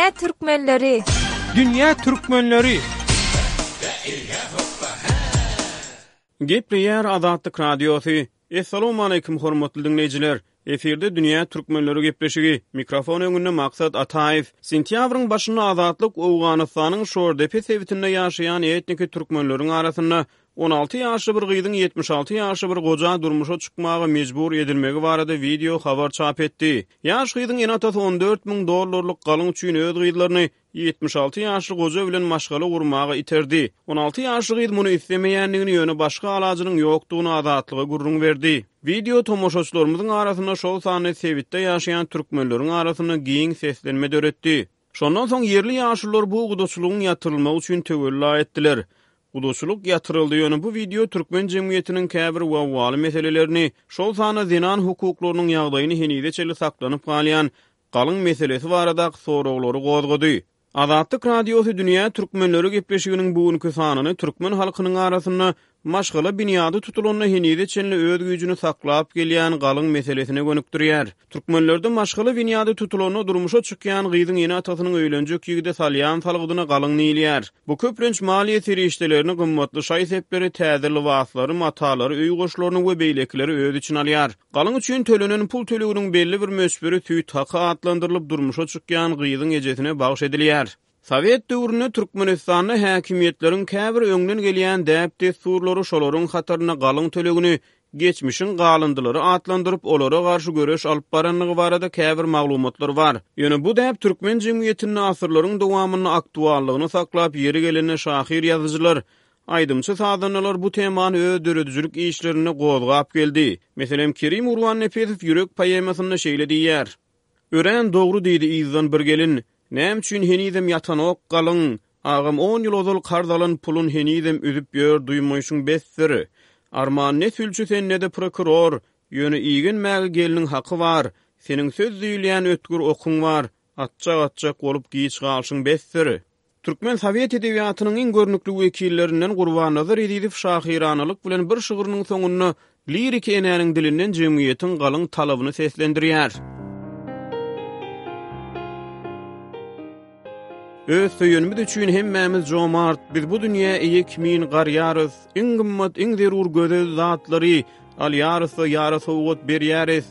Dünýä türkmenleri! Dünýä türkmenleri! Gepleýär Azatlyk Radiosy. Essalawmaleýkim hormatly diňleýjiler! Efirde Dünýä türkmenleri gepleşigi. Mikrofon öňünde Maksat Ataýew. Sentýabryň başynda Azatlyk Owganystanyň Şordepe sebitinde ýaşaýan etniki türkmenleriň arasynda 16 ýaşly bir gyzyň 76 ýaşly bir goja durmuşa çykmaga mejbur edilmegi barada wideo habar çap etdi. Ýaş gyzyň ene-atasy 14 müň dollarlyk galyň üçin öz gyzlaryny 76 ýaşly goja bilen maşgala gurmaga iterdi. 16 ýaşly gyz muny islemeýändigini, ýöne başga alajynyň ýokdugyny Azatlyga gürrüň berdi. Wideo tomaşaçylarymyzyň arasynda, şol sanda sebitde ýaşaýan türkmenleriň arasynda giň seslenme döretdi. Şondan soň ýerli ýaşulular bu gudaçylygyň ýatyrylmagy üçin töwella etdiler. Gudaçylyk ýatyryldy, ýöne bu wideo türkmen jemgyýetiniň käbir wawwaly meselelerini, şol sanda zenan hukuklarynyň ýagdaýyny henize çenli saklanyp galýan galyň meselesi baradaky soraglary gozgady. Azatlyk Radiosy Dünýä türkmenleri gepleşiginiň bu günki sanyny türkmen halkynyň arasynda maşgala binýady tutulanda henize çenli öz güýjüni saklap gelýän galyň meselesine gönükdirýär. Türkmenlerde maşgala binýady tutulanda durmuşa çykýan gyzyň ene-atasynyň öýlenjek ýigide salýan salgydyna galyň diýilýär. Bu köplenç maliýe serişdelerini, gymmatly şaý-sepleri, täze lybaslary, matalary, öý goşlaryny we beýlekileri öz içine alýar. Galyň üçin tölenen pul töleginiň belli bir möçberi süýt haky atlandyrylyp, durmuşa çykýan gyzyň ejesine bagyş edilýär. Sowet döwründe Türkmenistanda häkimiýetleriň käbir öňden gelýän däp-dessurlary, şolaryň hatarynda galyň tölegini geçmişiň galyndylary atlandyryp, olara garşy göreş alyp barandygy barada käbir maglumatlar bar. Ýöne bu däp türkmen jemgyýetinde asyrlaryň dowamynda aktuallygyny saklap, ýeri gelende şahyr-ýazyjylar, Aýdymçy-sazandalar bu temany öz döredijilik işlerinde gozgap geldi. Meselem, Kerim Gurbannepesow Ýürek poemasynda şeýle diýýär. Örän dogry diýdi yzdan bir gelin, Näme üçin henizem ýatanok galyň? Agam on ýyl ozal karz alan pulun henizem üzüp ýör duýmaýşyň besdir. Arman ne sülçi sen ne-de prokuror, ýöne igenmäge gelniň haky bar, seniň söz diýilýän ötgür okuň bar, atjak-atjak bolup giç galşyň besdir. Türkmen sowet edebiýatynyň iň görnükli wekillerinden Gurbannazar Ezizow şahyranalyk bilen bir şygrynyň soňunda liriki enäniň dilinden jemgyýetiň galyň talabyny seslendirýär. Öz söýenimiz üçin hemmämiz jomart, biz bu dünýä eýe kimin garýarys, iň gymmat, iň zerur gözel zatlary Alýarys-da ýara sowgat berýäris.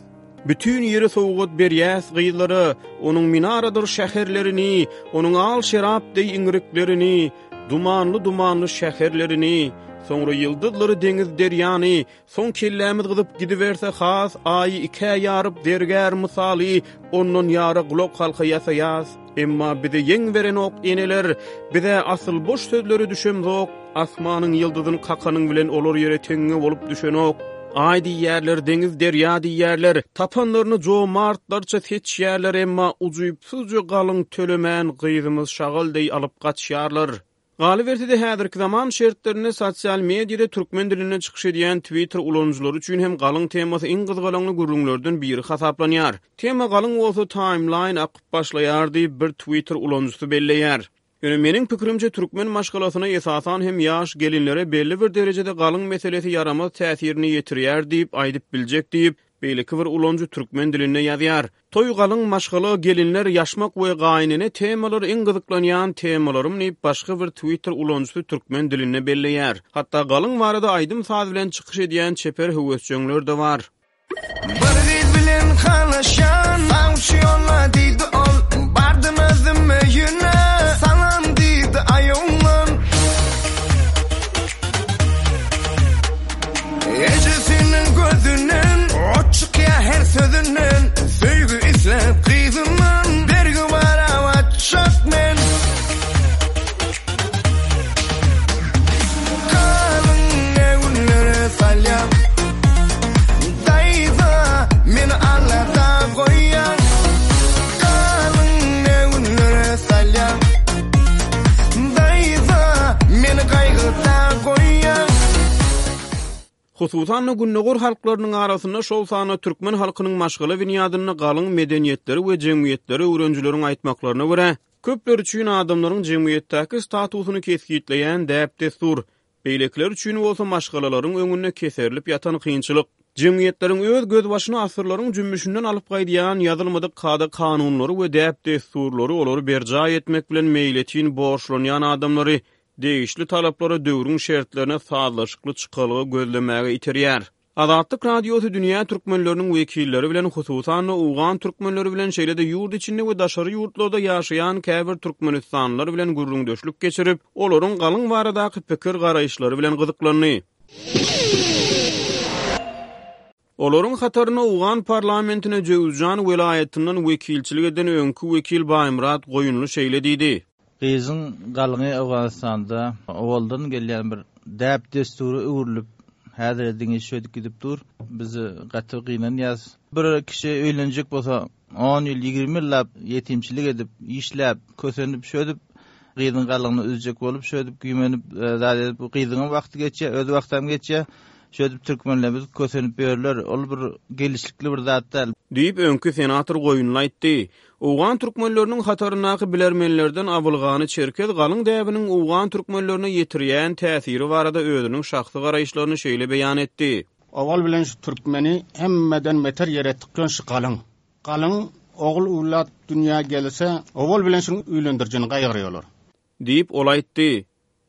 Bütin ýeri sowgat berýäs gyzlara, Onuň minaradyr şäherlerini, Onuň al şerap deý iňriklerini, Dumanly-dumanly şäherlerini. Soňra ýyldyzlary, deňiz-derýany, Soň kellämiz gyzyp gidiberse has, Aýy ikä ýaryp zergär mysaly, Ondan ýara gulakhalka ýasaýas. Emma bize ýeň berenok eneler, Biz-ä asyl boş sözlere düşemzok. Asmanyň ýyldyzyny kakanyň bilen olar ýere teňňe bolup düşenok. Aý diýýärler, deňiz, derýa diýýärler, tapanlaryny jomartlarça seçýärler, emma ujypsyzja galyň tölemän gyzymyz şagal deý alyp gaçýarlar. Galyberse-de, häzirki zaman şertlerinde sosial mediada türkmen dilinde çykyş edýän Twitter ulanyjylary üçin hem galyň temasy iň gyzgalaňly gürrüňlerden biri hasaplanýar. Tema galyň bolsa taýmlaýn akyp başlaýar diýip, bir Twitter ulanyjysy belleýär. Ýöne meniň pikirimçe türkmen maşgalasyna esasan hem ýaş gelinlere belli bir derejede galyň meselesi ýaramaz täsirini ýetirýär diýip aýdyp biljek diýip, beýleki bir ulanyjy türkmen dilinde ýazýar. Toý galyň maşgala gelinler ýaşmak we gaýynene temalary iň gyzyklanýan temalarym diýip başga bir twitter ulanyjysy türkmen dilinde belleýär. Hatda galyň barada aýdym-saz bilen çykyş edýän çeper höwesjeňler-de bar. Bir gyz bilen halaşan Sawçy ýolla diýdi ol Bardym özüm öýüne Salam diýdi aý oglan Ejesiniň gözünden Ot çykýar her sözünden Söýgi isläp gyzyndan Bergi bara batjak men Galyň ne günlere salýaň Daýza meni alada goýýaň Galyň ne günlere salýaň Daýza meni gaýgyda goýýaň. Hususan-da, gündogar halklarynyň arasynda, şol sanda türkmen halkynyň maşgala binýadynda galyň medeniýetleri we jemgyýetleri öwrenijileriň aýtmaklaryna görä, köpler üçin adamlaryň jemgyýetdäki statusyny kesgitleýän däp-dessur, beýlekiler üçin bolsa maşgalalaryň öňünde keserilip ýatan kynçylyk. Jemgyýetleriň öz gözbaşyny asyrlaryň jümmüşinden alyp gaýdýan ýazylmadyk kada-kanunlary we däp-dessurlary olary berjaý etmek bilen meýletin borçlanýan adamlary degişli talaplara döwrüň şertlerine sazlaşykly çykalga gözlemäge iterýär. Azatlyk Radiosy dünýä türkmenleriniň wekilleri bilen, hususan-da, owgan türkmenleri bilen, şeýle-de ýurt içinde we daşary ýurtlarda ýaşaýan käbir türkmenistanlylar bilen gürrüňdeşlik geçirip, olaryň galyň baradaky pikir-garaýyşlary bilen gyzyklandy. Olaryň hatarynda owgan parlamentine Jöwüzjan welaýatyndan wekilçilik eden öňki wekil Baýmyrat Goýunly şeýle diýdi. Gyzyň galyňy Owganystanda owaldan gelýän bir däp-dessura öwrülip, häzire diňe şöýdüp gidip dur. Biz gaty gynanýas. Bir kişi öýlenjek bolsa, on ýyl, 20 ýyllap ýetimçilik edip, işläp, kösenip, şöýdüp gyzyň galyňyny üzjek bolup, şöýdüp güýmenip, zat edip, gyzyňam wagty geçýär, öz wagtam geçýär. Şöýdüp türkmenlerimiz kösenip ýörler. Ol bir gelişlikli bir zat däl. Diýip, öňki senator Goýunly aýtdy. Owgan türkmenleriniň hataryndaky bilermenlerden Abylgany Çerkez galyň däbiniň owgan türkmenlerine ýetirýän täsiri barada özüniň şahsy garaýyşlaryny şeýle beýan etdi. Owal bilen şu türkmeni hemmeden beter ýere tykýan şu galyň. Galyň ogul öwlat dünýä gelse, owal bilen şuň öýlendirijini gaýgyrýarlar. Diýip, ol aýtdy.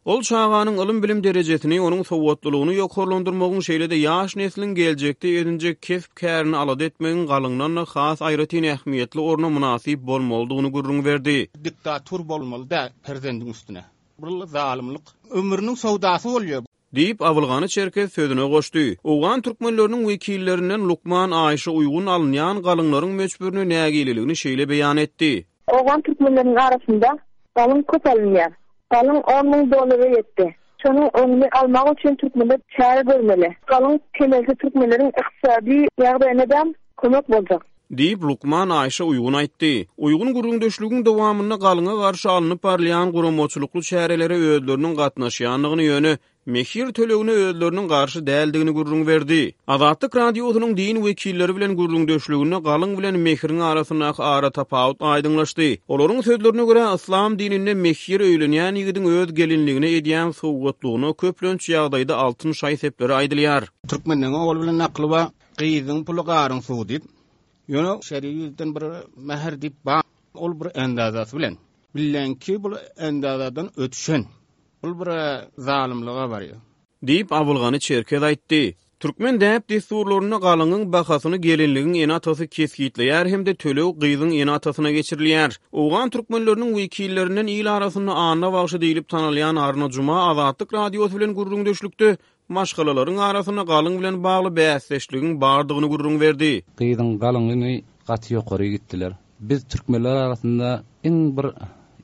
Ol çaganyň ylym-bilim derejesini, onuň sowatlylygyny ýokarlandyrmagyň, şeýle-de ýaş nesliň geljekde edinjek kesp-kärini alada etmegiň galyňdan-da has aýratyn ähmiýetli orna mynasyp bolmalydygyny gürrüň berdi. Diktatur bolmaly däl perzendiň üstüne. Bul zalymlyk. Ömrüniň söwdasy bolýar. Diýip, Abylgany Çerkez sözüne goşdy. Owgan türkmenleriniň wekillerinden lukman Aýşa Uýgun alynýan galyňlaryň möçberine nägileligini şeýle beýan etdi. Owgan türkmenleriniň arasynda galyň köp alynýar. Galyň on müň dollara ýetdi. Şonuň öňüni almak üçin türkmenler çäre görmeli. Galyň kemelse türkmenleriň ykdysady ýagdaýyna-da kömek boljak. Diýip, lukman Aýşa Uýgun aýtdy. Uýgun gürrüňdeşligiň dowamynda galyňa garşy alnyp barylýan guramaçylykly çärelere özleriniň gatnaşýandygyny, ýöne mehir tölegine özleriniň garşy däldigini gürrüň berdi. Azatlyk Radiosynyň din wekilleri bilen gürrüňdeşliginde galyň bilen mehiriň arasyndaky aratapawut aýdyňlaşdy. Olaryň sözlerine görä, yslam dininde mehir öýlenýän ýigidiň öz gelinligine edýän sowgatlygyna köplenç ýagdaýda altyn şaý-sepleri aýdylýar. Türkmenleň ogul bilen nakly bar. Gyzyň puly garyň suwy diýip. Ýöne şeri ýüzden bir mähir diýip bar. Ol bir endazasy bilen. Bilenki bul endazadan ötüşen. Bul bir zalymlyga barýar. Diýip, Abylgany Çerkez aýtdy. Türkmen däp-dessurlarynda galyňyň bahasyny gelinligiň ene-atasy kesgitleýär hem-de töleg gyzyň ene-atasyna geçirilýär. Owgan türkmenleriniň wekillerinden il arasynda Anna bagşy diýlip tanalýan Arna Juma Azatlyk Radiosy bilen gürrüňdeşlikde maşgalalaryň arasynda galyň bilen bagly bäsdeşligiň bardygyny gürrüň berdi. Gyzyň galyňyny gaty ýokary gitdiler. Biz türkmenler arasynda iň bir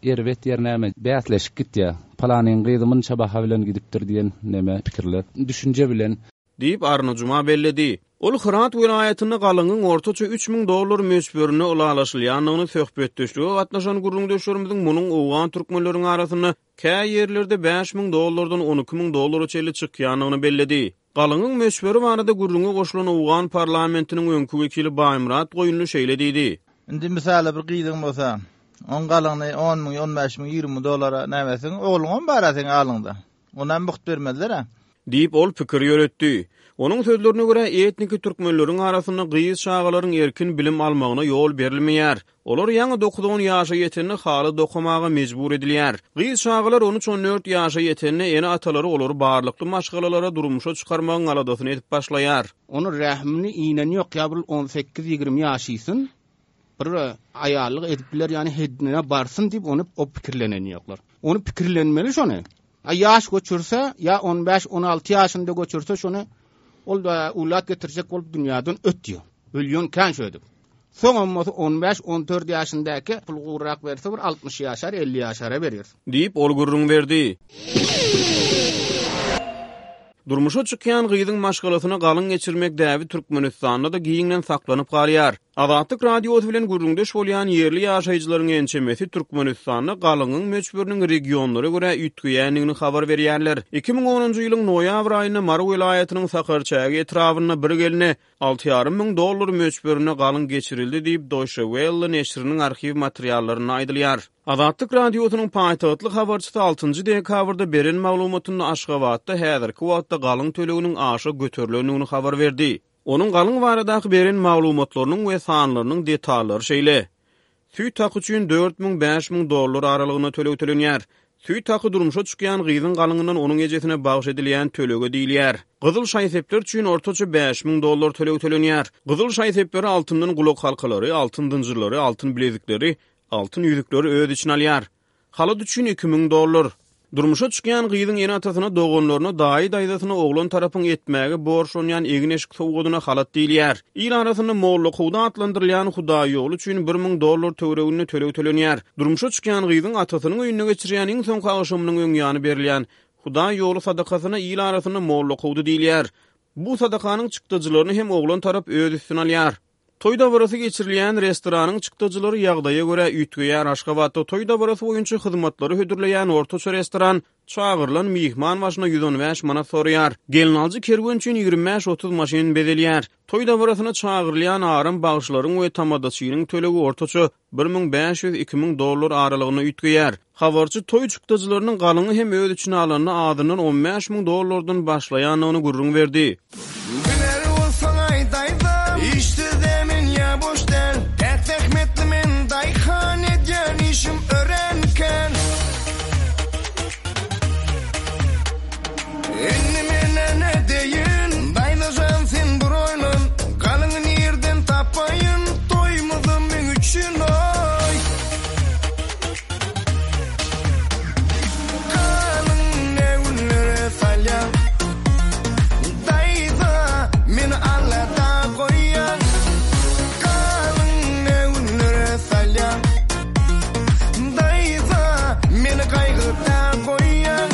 erbet ýer näme, bäsleşik gitýär. Palanyň gyzy munça baha bilen gidipdir diýen neme pikirler, düşünje bilen. Diýip, Arna Juma belledi. Ol Hyrat welaýatynda galyňyň ortaça 3000 dollar möçberinde ylalaşylýandygyny söhbetdeşlige gatnaşan gürrüňdeşlerimiziň munuň owgan türkmenleriň arasynda Kä ýerlerde 5000 dollardan 12 müň dollara çenli çykýandygyny belledi. Galyňyň möçberi barada gürrüňe goşulan owgan parlamentiniň öňki wekili Baýmyrat Goýunly şeýle diýdi. Indi mysala bir gyzyň bolsa, oň galyňyny on müň, on bäş müň, 20 müň dollara näme etseň, ogluňam bar-a seň alyňda. Onam mugt bermezler-ä. Diýip, ol pikir ýöretdi. Onuň sözlerine görä, etniki türkmenleriň arasynda gyz çagalaryň erkin bilim almagyna ýol berilmeýär. Olar ýaňy dokuz-on ýaşa ýetende haly dokamaga mejbur edilýär. Gyz çagalar on üç-on dört ýaşa ýetende ene-atalary olary barlykly maşgalalara durmuşa çykarmagyň aladasyny edip başlaýar. Ony rähimini inen ýok ýa bir on sekiz-ýigrimi ýaşysyn bir aýallyk edip biler ýany heddine barsyn diýip ony o pikirlenen ýoklar. Ony pikirlenmeli şony. A ýaş göçürse, ýa on bäş, on alty ýaşynda göçürse şony ol da ulat getirjek bolup dünýäden ötýär. Ölýän kän şöýdüp. Soňam bolsa on bäş, on dört ýaşyndaky pul gurrak berse bir 60 ýaşar, 50 ýaşara berýär. Diýip, ol gürrüň berdi. Durmuşa çykýan gyzyň maşgalasyna galyň geçirmek däbi Türkmenistanda-da giňden saklanyp galýar. Azatlyk Radiosy bilen gürrüňdeş bolýan ýerli ýaşaýjylaryň ençemesi Türkmenistanda galyňyň möçberiniň regionlara görä üýtgeýändigini habar berýärler. 2010-njy ýylyň noýabr aýynda Mary welaýatynyň Sakarçäge etrabynda bir gelne alty ýarym müň dollar möçberinde galyň geçirildi diýip, Deutsche Welle neşiriniň arhiw materiallarynda aýdylýar. Azatlyk Radiosynyň paýtagtly habarçysy altynjy dekabrda beren maglumatynda Aşgabatda häzirki wagtda galyň töleginiň aşa göterilendigini habar berdi. Onuň galyň baradaky beren maglumatlarynyň we sanlarynyň detallary şeýle. Süýt haky üçin 4000, 5000 dollar aralygynda töleg tölenýär. Süýt haky durmuşa çykýan gyzyň galyňyndan onuň ejesine bagyş edilýän tölege diýilýär. Gyzyl şaý-sepler üçin ortaça 5000 dollar töleg tölenýär. Gyzyl şaý-sepleri altyndan gulakhalkalary, altyn zynjyrlary, altyn bilezikleri, altyn ýüzükleri öz içine alýar. Halat üçin 2000 dollar. Durmuşa çykýan gyzyň ene-atasyna, doganlaryna, daýy-daýzasyna oglan tarapyň etmäge borçlanýan egin-eşik sowgadyna halat diýilýär. Il arasynda mollakowda atlandyrylýan hudaýýoly üçin 1000 dollar töwereginde töleg tölenýär. Durmuşa çykýan gyzyň atasynyň öýünde geçirýän iň soňky agşamynyň öň ýany berilýän hudaýýoly sadakasyna il arasynda mollakowdy diýilýär. Bu sadakanyň çykdajylaryny hem oglan tarap öz üstüne alýar. Toý dabarasy geçirilýän restoranyň çykdajylary ýagdaýa görä üýtgeýär. Aşgabatda toý dabarasy boýunça hyzmatlary hödürleýän ortaça restoran çagyrylan myhman başyna 115 manat soraýar. Gelnaljy kerwen üçin 25-30 maşyn bezelýär. Toý dabarasyna çagyrylýan aram bagşylaryň we tamadaçynyň tölegi ortaça 1500, 2000 dollar aralygynda üýtgeýär. Habarçy toý çykdajylarynyň galyňy hem öz içine alanda azyndan 15 müň dollardan başlaýandygyny gürrüň berdi. Biler bolsaň aýdaýda, işsiz-ä men ýa boş däl, Päk zähmetli men daýhan, edýän işim örän kän. Indi men-ä nädeýin, daýza jan sen bir oýlan, Galyňy nirden tapaýyn, toýumyzam meň üçin oý. Galyň ne günlere salýaň, daýza meni alada goýýaň. Galyň ne günlere salýaň. Daýza, meni gaýgyda goýýaň.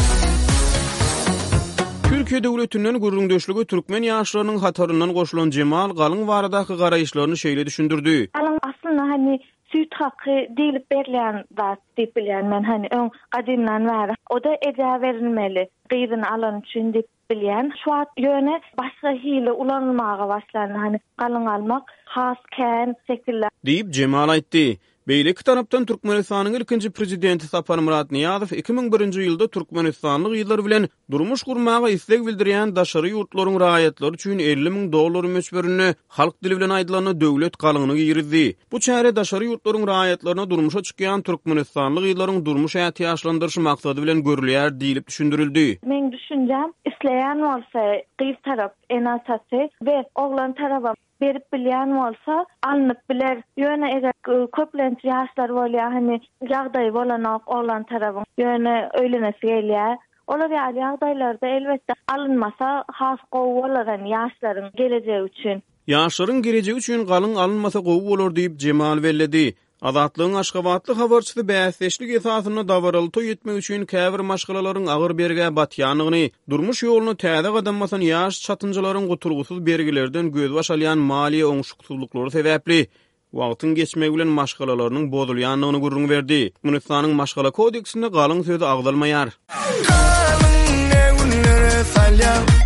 Türkiýe döwletinden gürrüňdeşlige türkmen ýaşlarynyň hataryndan goşulan Jemal galyň baradaky garaýyşlaryny şeýle düşündirdi. Galyň aslynda hany süýt haky diýlip berilýän zat diýip bilýän men hany öň gadymdan bäri. O-da ejä berilmeli gyzyny alany üçin diýip Bilýän. Şu wagt ýöne başga hili ulanylmaga başlandy. Hany galyň almak has kän şekilde. Diýip, Jemal aýtdy. Beýleki tarapdan, Türkmenistanyň ilkinji Prezidenti Saparmyrat Nyýazow 2001-nji ýylda türkmenistanly gyzlar bilen durmuş gurmaga isleg bildirýän daşary ýurtlaryň raýatlary üçin 50 müň dollar möçberinde, halk dili bilen aýdylanda, döwlet galyňyny girizdi. Bu çäre daşary ýurtlaryň raýatlaryna durmuşa çykýan türkmenistanly gyzlaryň durmuş ätiýaçlandyryşy maksady bilen görülýär diýlip düşündirildi. Meň düşünjäm, isleýän bolsa gyz tarap ene-atasy we oglan tarabam berip bilýän bolsa alnyp biler. Ýöne eger köplenç ýaşlar bolýar hany ýagdaýy bolanok oglan tarabyň ýöne öýlenesi gelýär. Olar ýaly ýagdaýlarda elbetde alynmasa has gowy bolar hany ýaşlaryň gelejegi üçin. Ýaşlaryň gelejegi üçin galyň alynmasa gowy bolar diýip, Jemal belledi. Azatlygyň aşgabatly habarçysy bäsdeşlik esasynda dabaraly toý etmek üçin käbir maşgalalaryň agyr bergä batýandygyny, durmuş ýoluna täze gadam basan ýaş çatynjalaryň gutulgysyz bergilerden gözbaş alýan maliýe oňşuksyzlyklary sebäpli wagtyň geçmegi bilen maşgalalarynyň bozulýandygyny gürrüň berdi. Türkmenistanyň Maşgala kodeksinde galyň sözi agzalmaýar. Galyň ne günlere salýaň.